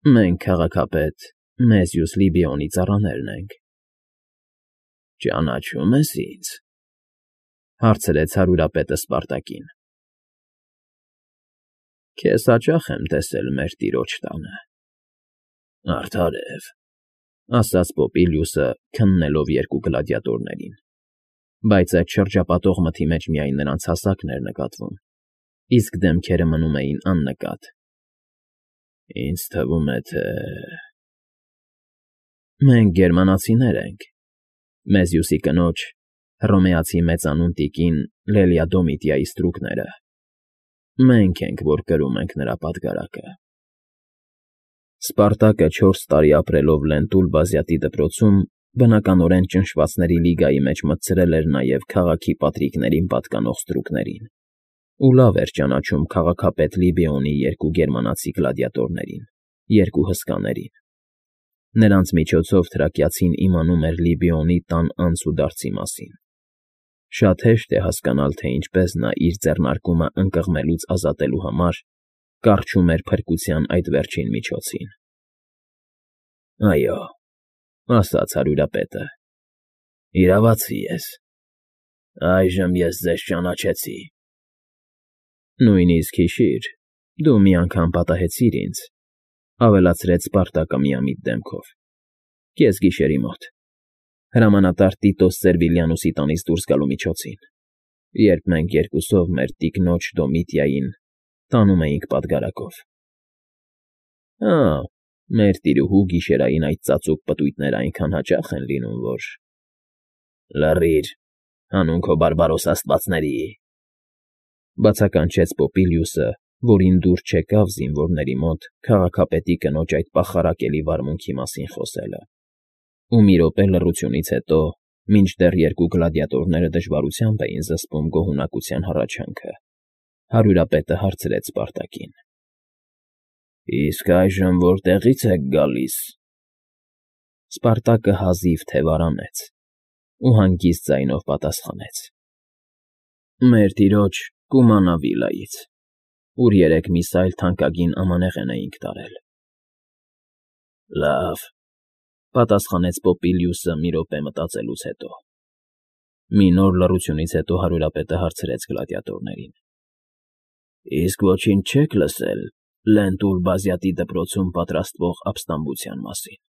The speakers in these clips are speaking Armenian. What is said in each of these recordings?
Մենք, քաղաքապետ, Մեզյուս Լիբիոնի ծառաներն ենք։ Ճանաչո՞ւմ ես ինձ,֊ հարցրեց հարյուրապետը Սպարտակին։ Քեզ հաճախ եմ տեսել մեր տիրոջ տանը։ Արդարև,֊ ասաց Պոպիլիուսը, քննելով երկու գլադիատորներին, բայց այդ շրջապատող մթի մեջ միայն նրանց հասակն էր նկատվում, իսկ դեմքերը մնում էին աննկատ։ Ինձ թվում է, թե… Մենք գերմանացիներ ենք, Մեզյուսի կնոջ, հռոմեացի մեծանուն տիկին Լելիա Դոմիտիայի ստրուկները։ Մենք ենք, որ կրում ենք նրա պատգարակը։ Սպարտակը 4 տարի ապրելով Լենտուլ բազյատի դպրոցում, բնականորեն ճնշվածների լիգայի մեջ մտցրել էր նաև քաղաքի պատրիկներին պատկանող ստրուկներին ու լավ էր ճանաչում քաղաքապետ Լիբիոնի երկու գերմանացի գլադիատորներին, երկու հսկաներին։ Նրանց միջոցով թրակիացին իմանում էր Լիբիոնի տան անց ու դարձի մասին։ Շատ հեշտ է հասկանալ, թե ինչպես նա իր ձեռնարկումը ընկղմելուց ազատելու համար կառչում էր փրկության այդ վերջին միջոցին։ Այո,֊ ասաց հարյուրապետը,֊ իրավացի ես։ Այժմ ես ձեզ ճանաչեցի։ Նույնիսկ հիշիր, դու մի անգամ պատահեցիր ինձ,֊ ավելացրեց Սպարտակը միամիտ դեմքով,֊ կեսգիշերի մոտ, հրամանատար Տիտոս Սերվիլիանուսի տանից դուրս գալու միջոցին, երբ մենք երկուսով մեր տիկնոջ Դոմիտիային տանում էինք պատգարակով։ Հա, մեր տիրուհու գիշերային այդ ծածուկ պտույտները այնքան հաճախ են լինում, որ… Լռիր, հանուն քո բարբարոս աստվածների,֊ բացականչեց Պոպիլիուսը, որին դուր չեկավ զինվորների մոտ քաղաքապետի կնոջ այդ պախարակելի վարմունքի մասին խոսելը, ու մի րոպե լռությունից հետո, մինչդեռ երկու գլադիատորները դժվարությամբ էին զսպում գոհունակության հառաչանքը, հարյուրապետը հարցրեց Սպարտակին. Իսկ այժմ որտեղի՞ց եք գալիս։ Սպարտակը հազիվ թե վարանեց ու հանգիստ ձայնով պատասխանեց. Մեր տիրոջ Կումանա վիլայից, ուր երեկ մի սայլ թանկագին ամանեղեն էինք տարել։ Լավ,֊ պատասխանեց Պոպիլիուսը մի րոպե մտածելուց հետո։ Մի նոր լռությունից հետո հարյուրապետը հարցրեց գլադիատորներին. Իսկ ոչինչ չեք լսել Լենտուլ բազյատի դպրոցում պատրաստվող ապստամբության մասին։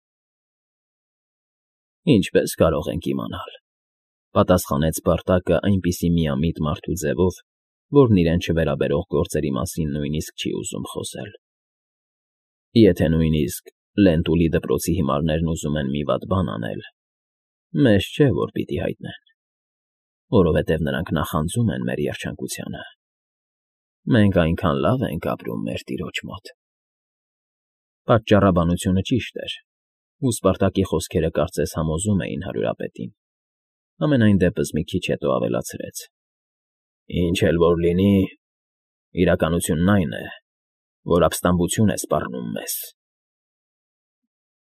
Ինչպես կարող ենք իմանալ,֊ պատասխանեց Սպարտակը այնպիսի միամիտ մարդու ձևով, որն իրեն չվերաբերող գործերի մասին նույնիսկ չի ուզում խոսել։ Եթե նույնիսկ Լենտուլի դպրոցի հիմարներն ուզում են մի վատ բան անել, մեզ չէ, որ պիտի հայտնեն, որովհետև նրանք նախանձում են մեր երջանկությանը։ Մենք այնքան լավ ենք ապրում մեր տիրոջ մոտ։ Պատճառաբանությունը ճիշտ էր, ու Սպարտակի խոսքերը կարծես համոզում էին հարյուրապետին։ Համենայն դեպս մի քիչ հետո ավելացրեց. Ինչ էլ որ լինի, իրականությունն այն է, որ ապստամբություն է սպառնում մեզ։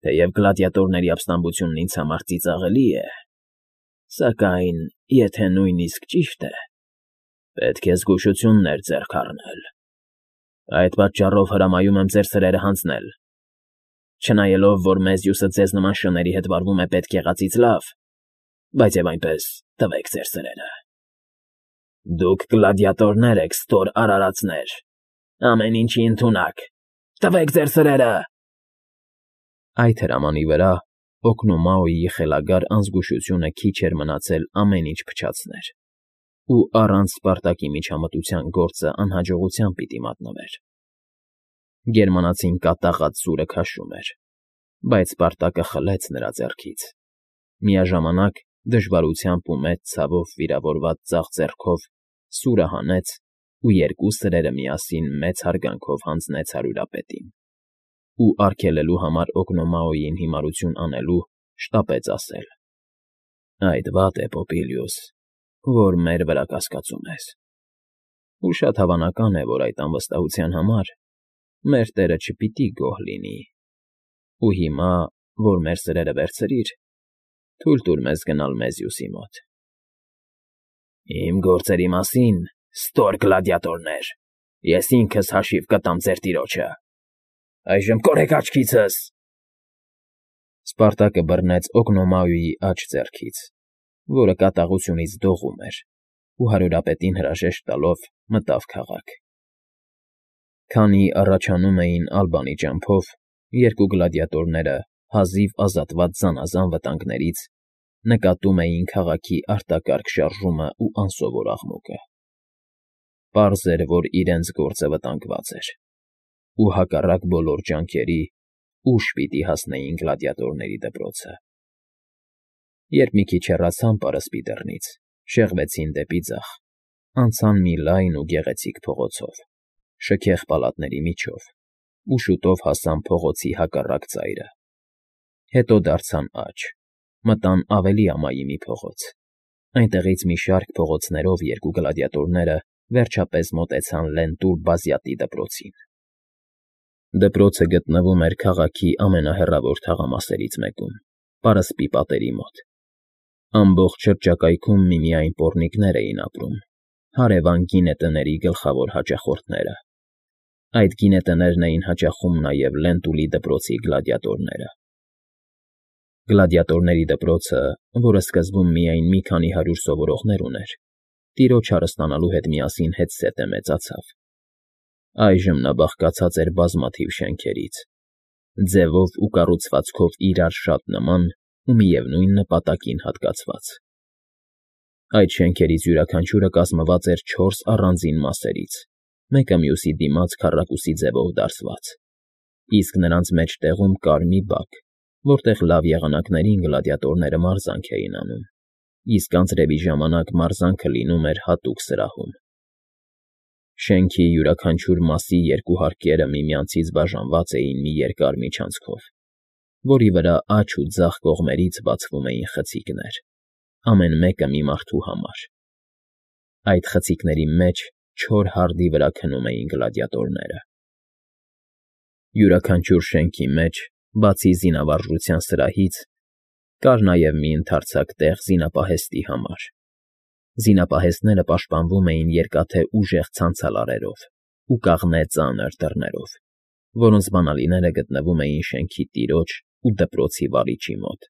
Թեև գլադիատորների ապստամբությունն ինձ համար ծիծաղելի է, սակայն, եթե նույնիսկ ճիշտ է, պետք է զգուշություններ ձեռք առնել։ Այդ պատճառով հրամայում եմ ձեր սրերը հանձնել։ Չնայելով, որ Մեզյուսը ձեզ նման շների հետ վարվում է պետք եղածից լավ, բայց և այնպես տվեք ձեր սրերը։ Դուք գլադիատորներ եք, ստոր արարածներ, ամեն ինչի ընդունակ, տվեք ձեր սրերը… Այդ հրամանի վրա Օկնոմաոյի խելագար անզգուշությունը քիչ էր մնացել ամեն ինչ փչացներ, ու առանց Սպարտակի միջամտության գործը անհաջողությամբ պիտի մատնվեր։ Գերմանացին կատաղած սուրը քաշում էր, բայց Սպարտակը խլեց նրա ձեռքից։ Միաժամանակ դժվարությամբ ու մեծ ցավով վիրավորված ձախ ձեռքով սուրը հանեց ու երկու սրերը միասին մեծ հարգանքով հանձնեց հարյուրապետին։ Ու արգելելու համար Օկնոմաոյին հիմարություն անելու շտապեց ասել. Այդ վատ է, Պոպիլիուս, որ մեր վրա կասկածում ես։ Ու շատ հավանական է, որ այդ անվստահության համար մեր տերը չպիտի գոհ լինի։ Ու հիմա, որ մեր սրերը վերցրիր, թույլ տուր մեզ գնալ Մեզյուսի մոտ։ Իմ գործերի մասին, ստոր գլադիատորներ, ես ինքս հաշիվ կտամ ձեր տիրոջը, Այժմ կորեք աչքիցս։ Սպարտակը բռնեց Օգնոմայուի աջ ձեռքից, որը կատաղությունից դողում էր, ու հարյուրապետին հրաժեշտ տալով մտավ քաղաք։ Քանի առաջանում էին Ալբանի ճամփով, երկու գլադիատորները հազիվ ազատված զանազան վտանգներից նկատում էին քաղաքի արտակարգ շարժումն ու անսովոր աղմուկը։ Պարզ էր, որ իրենց գործը վտանգված էր, ու հակառակ բոլոր ջանքերի ուշ պիտի հասնեին գլադիատորների դպրոցը։ Երբ մի քիչ հեռացան պարսպի դռնից, շեղվեցին դեպի ձախ, անցան մի լայն ու գեղեցիկ փողոցով, շքեղ պալատների միջով, ու շուտով հասան փողոցի հակառակ ծայրը։ Հետո դարձան աջ, մտան ավելի ամայի մի փողոց։ Այնտեղից մի շարք փողոցներով երկու գլադիատորները վերջապես մոտեցան Լենտուլ Բազյատի դպրոցին։ Դպրոցը գտնվում էր քաղաքի ամենահեռավոր թաղամասերից մեկում, պարսպի պատերի մոտ։ Ամբողջ շրջակայքում միմիայն պոռնիկներ էին ապրում, հարևան գինետների գլխավոր հաճախորդները։ Այդ գինետներն էին հաճախում նաև Լենտուլի դպրոցի գլադիատորները։ Գլադիատորների դպրոցը, որը սկզբում միայն մի քանի հարյուր սովորողներ ուներ, տիրոջ հարստանալու հետ միասին հետզհետե մեծացավ։ Այժմ նա բաղկացած էր բազմաթիվ շենքերից, ձևով ու կառուցվածքով իրար շատ նման ու միևնույն նպատակին հատկացված։ Այդ շենքերից յուրաքանչյուրը կազմված էր 4 առանձին մասերից, մեկը մյուսի դիմաց քառակուսի ձևով դարսված, իսկ նրանց մեջտեղում կար մի բակ, որտեղ լավ եղանակներին գլադիատորները մարզանք էին անում, իսկ անձրևի ժամանակ մարզանքը լինում էր հատուկ սրահում։ Շենքի յուրաքանչյուր մասի երկու հարկերը միմյանցից բաժանված էին մի երկար միջանցքով, որի վրա աջ ու ձախ կողմերից բացվում էին խցիկներ, ամեն մեկը մի մարդու համար։ Այդ խցիկների մեջ չոր հարդի վրա քնում էին գլադիատորները։ Յուրաքանչյուր շենքի մեջ, բացի զինավարժության սրահից, կար նաև մի ընդարձակ տեղ զինապահեստի համար։ Զինապահեստները պաշտպանվում էին երկաթե ուժեղ ցանցալարերով ու կաղնե ծանր դռներով, որոնց բանալիները գտնվում էին շենքի տիրոջ ու դպրոցի վարիչի մոտ։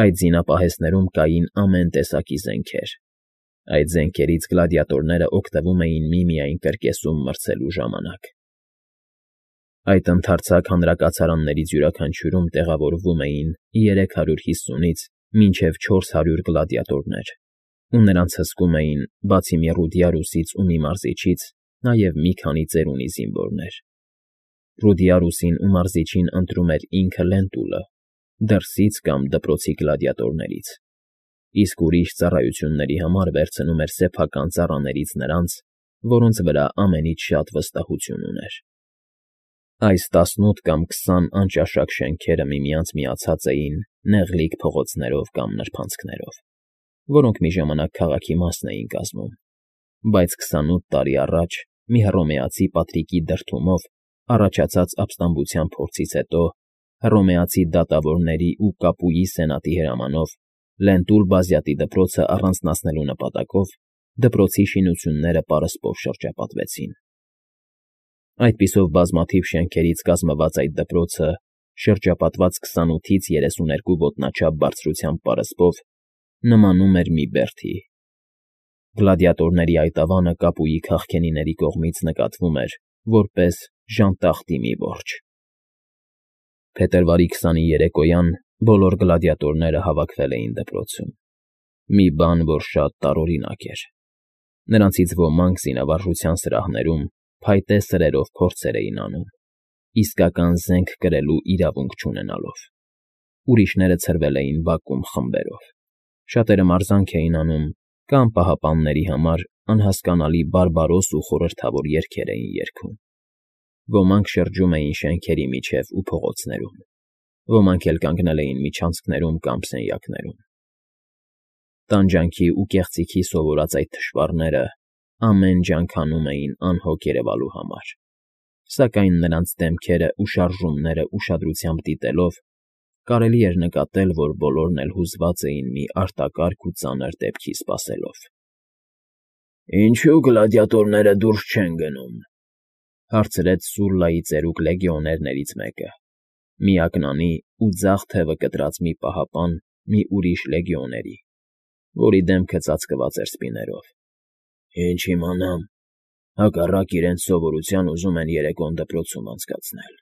Այդ զինապահեստներում կային ամեն տեսակի զենքեր։ Այդ զենքերից գլադիատորները օգտվում էին միմիայն կրկեսում մրցելու ժամանակ։ Այդ ընդարձակ հանրակացարաններից յուրաքանչյուրում տեղավորվում էին 350-ից մինչև 400 գլադիատորներ, ու նրանց հսկում էին, բացի Ռուդիարուսից ու մի մարզիչից, նաև մի քանի ծերունի զինվորներ։ Ռուդիարուսին ու մարզիչին ընտրում էր ինքը Լենտուլը, դրսից կամ դպրոցի գլադիատորներից, իսկ ուրիշ ծառայությունների համար վերցնում էր սեփական ծառաներից նրանց, որոնց վրա ամենից շատ վստահություն ուներ։ Այս 18 կամ 20 անճաշակ շենքերը միմյանց միացած էին նեղլիկ փողոցներով կամ նրբանցքներով, որոնք մի ժամանակ քաղաքի մասն էին կազմում, բայց 28 տարի առաջ մի հռոմեացի Պատրիկի դրդումով առաջացած ապստամբության փորձից հետո հռոմեացի դատավորների ու Կապուի սենատի հրամանով Լենտուլ Բազյատի դպրոցը առանձնացնելու նպատակով դպրոցի շինությունները պարսպով շրջապատվեցին։ Այդպիսով բազմաթիվ շենքերից կազմված այդ դպրոցը, շրջապատված 28-ից 32 ոտնաչափ բարձրությամբ պարսպով, նմանում էր մի բերդի։ Գլադիատորների այդ ավանը Կապուի քաղքենիների կողմից նկատվում էր որպես ժանտախտի մի որջը։ Փետրվարի 20-ի երեկոյան բոլոր գլադիատորները հավաքվել էին դպրոցում։ Մի բան, որ շատ տարօրինակ էր։ Նրանցից ոմանք զինավարժության սրահներում փայտե սրերով փորձեր էին անում, իսկական զենք կրելու իրավունք չունենալով։ Ուրիշները ցրվել էին բակում խմբերով։ Շատերը մարզանք էին անում կամ պահապանների համար անհասկանալի բարբարոս ու խորհրդավոր երգեր էին երգում։ Ոմանք շրջում էին շենքերի միջև ու փողոցներում, ոմանք էլ կանգնել էին միջանցքներում կամ սենյակներում։ Տանջանքի ու կեղծիքի սովորած այդ թշվառները ամեն ջանք անում էին անհոգ երևալու համար, սակայն նրանց դեմքերը ու շարժումները ուշադրությամբ դիտելով կարելի էր նկատել, որ բոլորն էլ հուզված էին մի արտակարգ ու ծանր դեպքի սպասելով։ «Ինչո՞ւ գլադիատորները դուրս չեն գնում», Հարցրեց Սուլլայի ծերուկ լեգիոներներից մեկը, միակնանի ու ձախ թևը կտրած մի պահապան մի ուրիշ լեգիոների, որի դեմքը ծածկված էր սպիներով։ Ինչ իմանամ, հակառակ իրենց սովորության ուզում են երեկոն դպրոցում անցկացնել։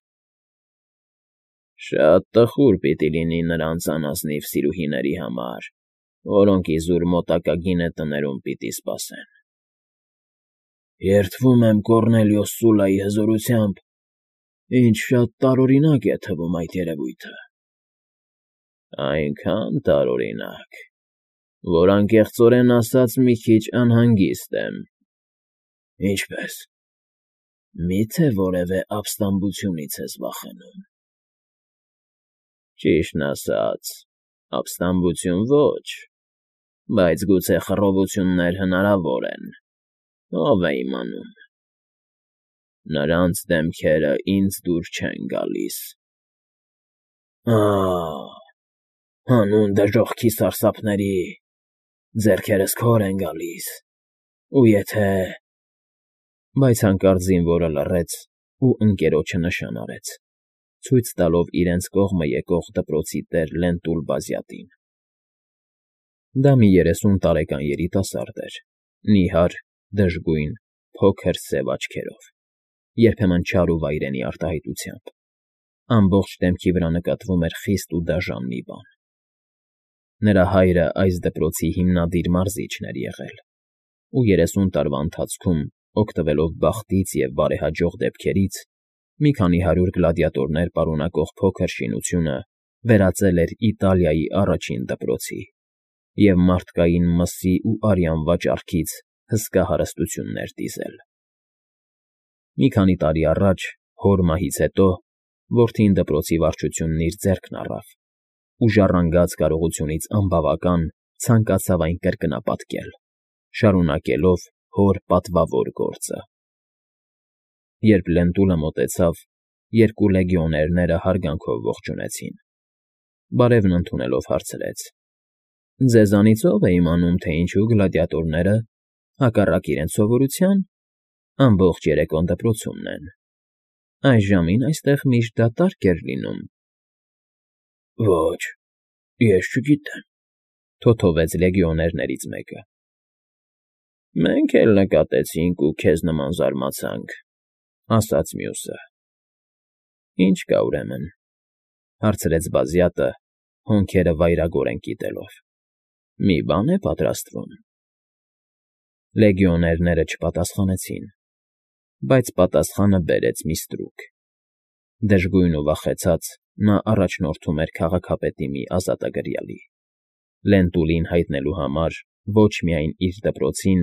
Շատ տխուր պիտի լինի նրանց անազնիվ սիրուհիների համար, որոնք իզուր մոտակա գինետներում պիտի սպասեն։ Երդվում եմ Կոռնելիոս Սուլլայի հզորությամբ, ինչ շատ տարօրինակ է թվում այդ երևույթը։ Այնքան տարօրինակ, որ անկեղծորեն ասած մի քիչ անհանգիստ եմ։ Ինչպե՞ս։ Մի՞թե որևէ ապստամբությունից ես վախենում։ Ճիշտն ասած, ապստամբություն ոչ, բայց գուցե խռովություններ հնարավոր են, ով է իմանում։ Նրանց դեմքերը ինձ դուր չեն գալիս։ Հանուն դժոխքի սարսափների, ձեռքերս քոր են գալիս, ու եթե… Բայց հանկարծ զինվորը լռեց ու ընկերոջը նշան արեց, ցույց տալով իրենց կողմը եկող դպրոցի տեր Լենտուլ Բազյատին։ Դա մի 30 տարեկան երիտասարդ էր, նիհար, դժգույն, փոքր սև աչքերով, երբեմն չար ու վայրենի արտահայտությամբ։ Ամբողջ դեմքի վրա նկատվում էր խիստ ու դաժան մի բան։ Նրա հայրը այս դպրոցի հիմնադիր մարզիչն էր եղել, ու 30 տարվա ընթացքում, օգտվելով բախտից և բարեհաջող դեպքերից, մի քանի հարյուր գլադիատորներ պարունակող փոքր շինությունը վերածել էր Իտալիայի առաջին դպրոցի և մարդկային մսի ու արյան վաճառքից հսկա հարստություններ դիզել։ Մի քանի տարի առաջ, հոր մահից հետո, որդին դպրոցի վարչությունն իր ձեռքն առավ ու ժառանգած կարողությունից անբավական ցանկացավ այն կրկնապատկել, շարունակելով հոր պատվավոր գործը։ Երբ Լենտուլը մոտեցավ, երկու լեգիոներները հարգանքով ողջունեցին։ Բարևն ընդունելով հարցրեց. Ձեզանից ո՞վ է իմանում, թե ինչու գլադիատորները, հակառակ իրենց սովորության, ամբողջ երեկոն դպրոցումն են։ Այս ժամին այստեղ միշտ դատարկ էր լինում։ Ոչ, ես չգիտեմ, թոթովեց լեգիոներներից մեկը։ Մենք էլ նկատեցինք ու քեզ նման զարմացանք, ասաց մյուսը։ Ինչ կա ուրեմն, հարցրեց Բազյատը, հոնքերը վայրագորեն կիտելով։ Մի բան է պատրաստվում։ Լեգիոներները չպատասխանեցին, բայց պատասխանը բերեց մի ստրուկ։ Դժգույն ու վախեցած նա առաջնորդում էր քաղաքապետի մի ազատագրյալի, Լենտուլին հայտնելու համար ոչ միայն իր դպրոցին,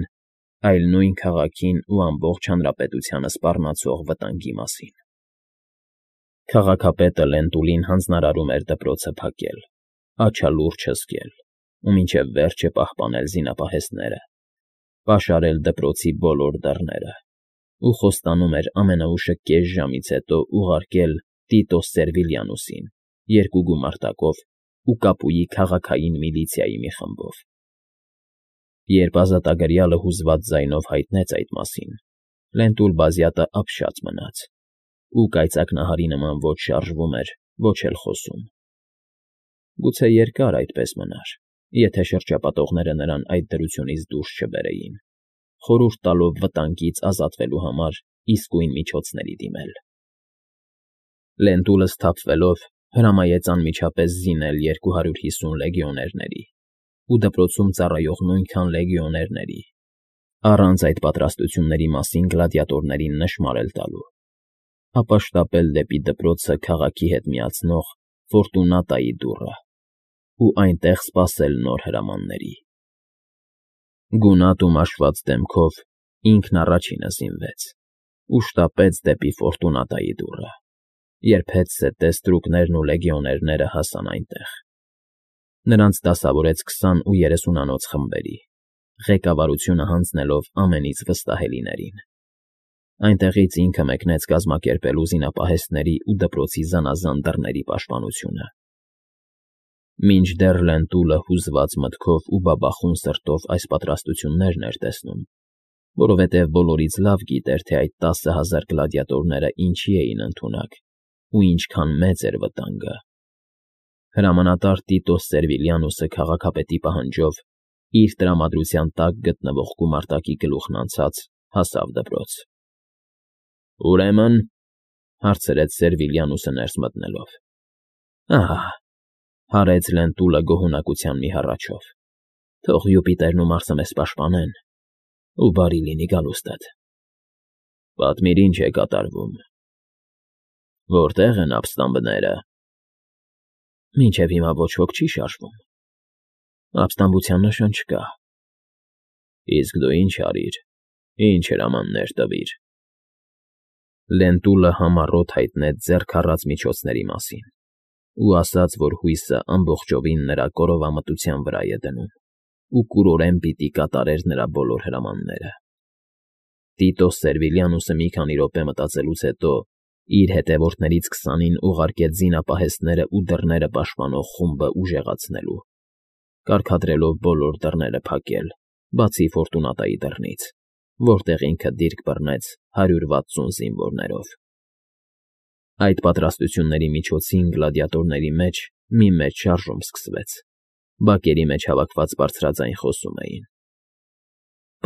այլ նույն քաղաքին ու ամբողջ հանրապետությանը սպառնացող վտանգի մասին։ Քաղաքապետը Լենտուլին հանձնարարում էր դպրոցը փակել, աչալուրջ հսկել ու մինչև վերջը պահպանել զինապահեստները, պաշարել դպրոցի բոլոր դռները ու խոստանում էր ամենաուշը կես ժամից հետո ուղարկել Տիտոս Սերվիլյանուսին երկու գումարտակով ու Կապուի քաղաքային միլիցիայի մի խմբով։ Երբ ազատագրյալը հուզված ձայնով հայտնեց այդ մասին, Լենտուլ Բազյատը ապշած մնաց ու կայծակնահարի նման ոչ շարժվում էր, ոչ էլ խոսում։ Գուցե երկար այդպես մնար, եթե շրջապատողները նրան այդ դրությունից դուրս չբերեին, խորհուրդ տալով վտանգից ազատվելու համար իսկույն միջոցների դիմել։ Լենտուլը սթափվելով հրամայեց անմիջապես զինել 250 լեգիոներների ու դպրոցում ծառայող նույնքան լեգիոներների, առանց այդ պատրաստությունների մասին գլադիատորներին նշմարել տալու, ապա շտապել դեպի դպրոցը քաղաքի հետ միացնող Ֆորտունատայի դուռը ու այնտեղ սպասել նոր հրամանների։ Գունատ ու մաշված դեմքով ինքն առաջինը զինվեց ու շտապեց դեպի Ֆորտունատայի դուռը, երբ հետզհետե ստրուկներն ու լեգիոներները հասան այնտեղ։ Նրանց դասավորեց 20 ու 30-անոց խմբերի, ղեկավարությունը հանձնելով ամենից վստահելիներին։ Այնտեղից ինքը մեկնեց կազմակերպելու զինապահեստների ու դպրոցի զանազան դռների պաշտպանությունը։ Մինչդեռ Լենտուլը հուզված մտքով ու բաբախուն սրտով այս պատրաստություններն էր տեսնում, որովհետև բոլորից լավ գիտեր, թե այդ 10,000 գլադիատորները ինչի էին ընդունակ ու ինչքան մեծ էր վտանգը։ Հրամանատար Տիտոս Սերվիլիանուսը քաղաքապետի պահանջով իր տրամադրության տակ գտնվող գումարտակի գլուխն անցած հասավ դպրոց։ Ուրեմն, հարցրեց Սերվիլիանուսը ներս մտնելով։ Ահա, հարեց Լենտուլը գոհունակության մի հառաչով։ Թող Յուպիտերն ու Մարսը մեզ պաշտպանեն, ու բարի լինի գալուստդ։ Պատմիր, ինչ է կատարվում։ Որտե՞ղ են ապստամբները։ Մինչև հիմա ոչ ոք չի շարժվում։ Ապստամբության նշան չկա։ Իսկ դու ինչ արիր, ինչ հրամաններ տվիր։ Լենտուլը համառոտ հայտնեց ձեռք առած միջոցների մասին ու ասաց, որ հույսը ամբողջովին նրա կորովամտության վրա է դնում ու կուրորեն պիտի կատարեր նրա բոլոր հրամանները։ Տիտոս Սերվիլիանուսը մի քանի րոպե մտածելուց հետո իր հետևորդներից 20-ին ուղարկեց զինապահեստները ու դռները պաշտպանող խումբը ուժեղացնելու, կարգադրելով բոլոր դռները փակել, բացի Ֆորտունատայի դռնից, որտեղ ինքը դիրք բռնեց 160 զինվորներով։ Այդ պատրաստությունների միջոցին գլադիատորների մեջ մի մեծ շարժում սկսվեց։ Բակերի մեջ հավաքված բարձրաձայն խոսում էին։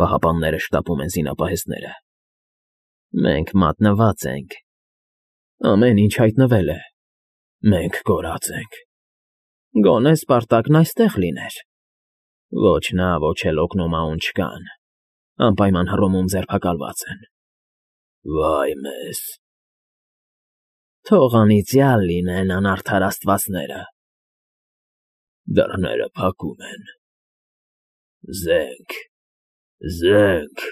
Պահապանները շտապում են զինապահեստները։ Մենք մատնված ենք։ Ամեն ինչ հայտնվել է։ Մենք կորած ենք։ Գոնե Սպարտակն այստեղ լիներ։ Ոչ նա, ոչ էլ օգնոմաուն չկան։ Անպայման Հռոմում ձերբակալված են։ Վայ մեզ։ Թող անիծյալ լինեն անարդար աստվածները։ Դռները փակում են։ Զենք, զենք։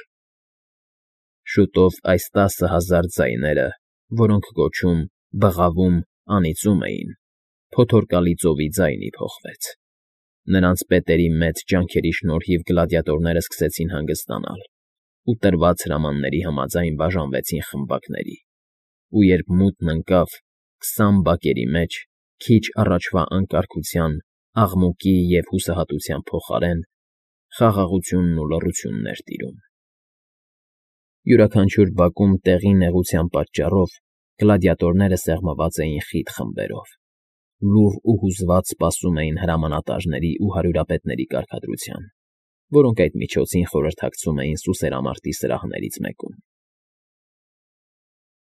Շուտով այս 10,000 ձայները, որոնք գոչում, բղավում, անիծում էին, փոթորկալի ծովի ձայնի փոխվեց։ Նրանց պետերի մեծ ջանքերի շնորհիվ գլադիատորները սկսեցին հանգստանալ ու տրված հրամանների համաձայն բաժանվեցին խմբակների, ու երբ մութն ընկավ 20 բակերի մեջ, քիչ առաջվա անկարգության, աղմուկի և հուսահատության փոխարեն խաղաղությունն ու լռությունն էր տիրում։ Յուրաքանչյուր բակում տեղի նեղության պատճառով գլադիատորները սեղմված էին խիտ խմբերով, լուռ ու հուզված սպասում էին հրամանատարների ու հարյուրապետների կարգադրության, որոնք այդ միջոցին խորհրդակցում էին սուսերամարտի սրահներից մեկում։